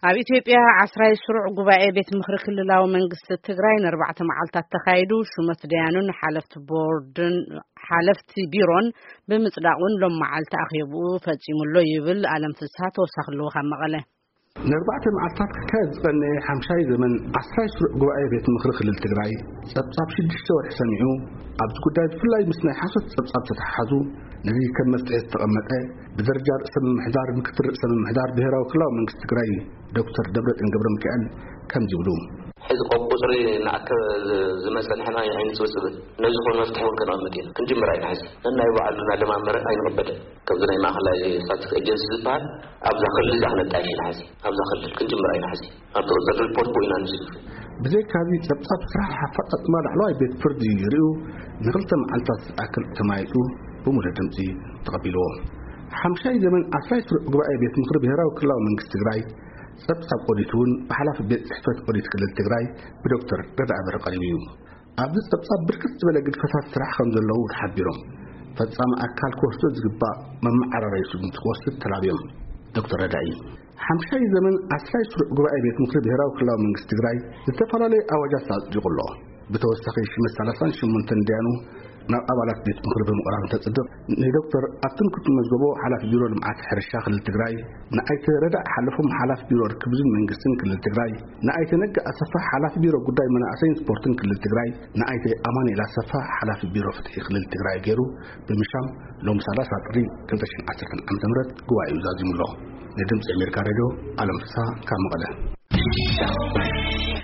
ኣብ ኢትዮጵያ ዓስራይ ስሩዕ ጉባኤ ቤት ምኽሪ ክልላዊ መንግስቲ ትግራይ ንኣርባዕተ መዓልታት ተኻይዱ፣ ሹመት ደያኑን ሓለፍቲ ቦርድን ሓለፍቲ ቢሮን ብምጽዳቑን ሎም መዓልቲ ኣኼብኡ ፈጺሙ ኣሎ ይብል ኣለም ፍስሃ። ተወሳኺ ኣለዎ ካብ መቐለ። ንኣርባዕተ መዓልታት ክካየድ ዝቐነየ ሓምሻይ ዘመን ዓስራይ ስሩዕ ጉባኤ ቤት ምኽሪ ክልል ትግራይ ጸብጻብ ሽዱሽተ ወርሒ ሰሚዑ፣ ኣብዚ ጉዳይ ብፍላይ ምስ ናይ ሓሶት ጸብጻብ ተተሓሓዙ ነዚ ከም መፍትሒ ዝተቐመጠ ብደረጃ ርእሰ ምምሕዳር ምክትል ርእሰ ምምሕዳር ብሄራዊ ክልላዊ መንግስቲ ትግራይ ዶክተር ደብረጽዮን ገብረ ሚካኤል ከምዚ ይብሉ። ሕዚ ቆብ ቁፅሪ ንኣከ ዝመፀ ንሕና ኣይንፅብፅብን። ነዚ ኾን መፍትሒ እውን ከነቐምጥ ኢና። ክንጅምር ኣይንሕዝ። ነናይ ባዕሉ እናደማመረ ኣይንቕበልን። ከምዚ ናይ ማእኸላይ ስታቲስቲክስ ኤጀንሲ ዝበሃል ኣብዛ ክልል እዛ ክነጣይሽ ኢና። ሕዚ ኣብዛ ክልል ክንጅምር ኣይንሕዝ። ኣብቲ ቅፅሪ ሪፖርት ብኡ ኢና ንዝግፍ። ብዘይካዚ ጸብጻብ ስራሕ ኣፈጻጽማ ላዕለዋይ ቤት ፍርዲ ይርእዩ ንክልተ መዓልታት ዝኣክል ተማይጡ ብሙሉእ ድምፂ ተቐቢልዎ። ሓምሻይ ዘመን ዓስራይ ስሩዕ ጉባኤ ቤት ምኽሪ ብሄራዊ ክልላዊ መንግስቲ ትግራይ ጸብጻብ ኦዲት እውን ብሓላፊ ቤት ጽሕፈት ኦዲት ክልል ትግራይ ብዶክተር ረዳኢ በርሀ ቀሪቡ እዩ። ኣብዚ ጸብጻብ ብርክት ዝበለ ግድፈታት ስራሕ ከም ዘለዉ ተሓቢሮም፣ ፈጻሚ ኣካል ክወስዶ ዝግባእ መመዓራረይ ስጉምቲ ክወስድ ተላብዮም። ዶክተር ረዳኢ፣ ሓምሻይ ዘመን ዓስራይ ስሩዕ ጉባኤ ቤት ምኽሪ ብሄራዊ ክልላዊ መንግስቲ ትግራይ ዝተፈላለዩ ኣዋጃት ኣጽዲቑ ኣሎ። ብተወሳኺ ሽመት ሰላሳን ሸሞንተን ደያኑ ናብ ኣባላት ቤት ምኽሪ ብምቕራብ እንተጽድቕ፣ ንዶክተር ኣብትን ክትመዝገቦ ሓላፊ ቢሮ ልምዓት ሕርሻ ክልል ትግራይ፣ ንኣይተ ረዳእ ሓለፎም ሓላፊ ቢሮ ርክብን መንግስትን ክልል ትግራይ፣ ንኣይተ ነጋ ኣሰፋ ሓላፊ ቢሮ ጉዳይ መናእሰይን ስፖርትን ክልል ትግራይ፣ ንኣይተ ኣማኑኤል ኣሰፋ ሓላፊ ቢሮ ፍትሒ ክልል ትግራይ ገይሩ ብምሻም ሎም ሰላሳ ጥሪ ክልተ ሽሕን ዓሰርተን ዓመተ ምህረት ጉባኤኡ ዛዚሙ ኣሎ። ንድምፂ ኣሜሪካ ሬድዮ ኣለም ፍስሃ ካብ መቐለ።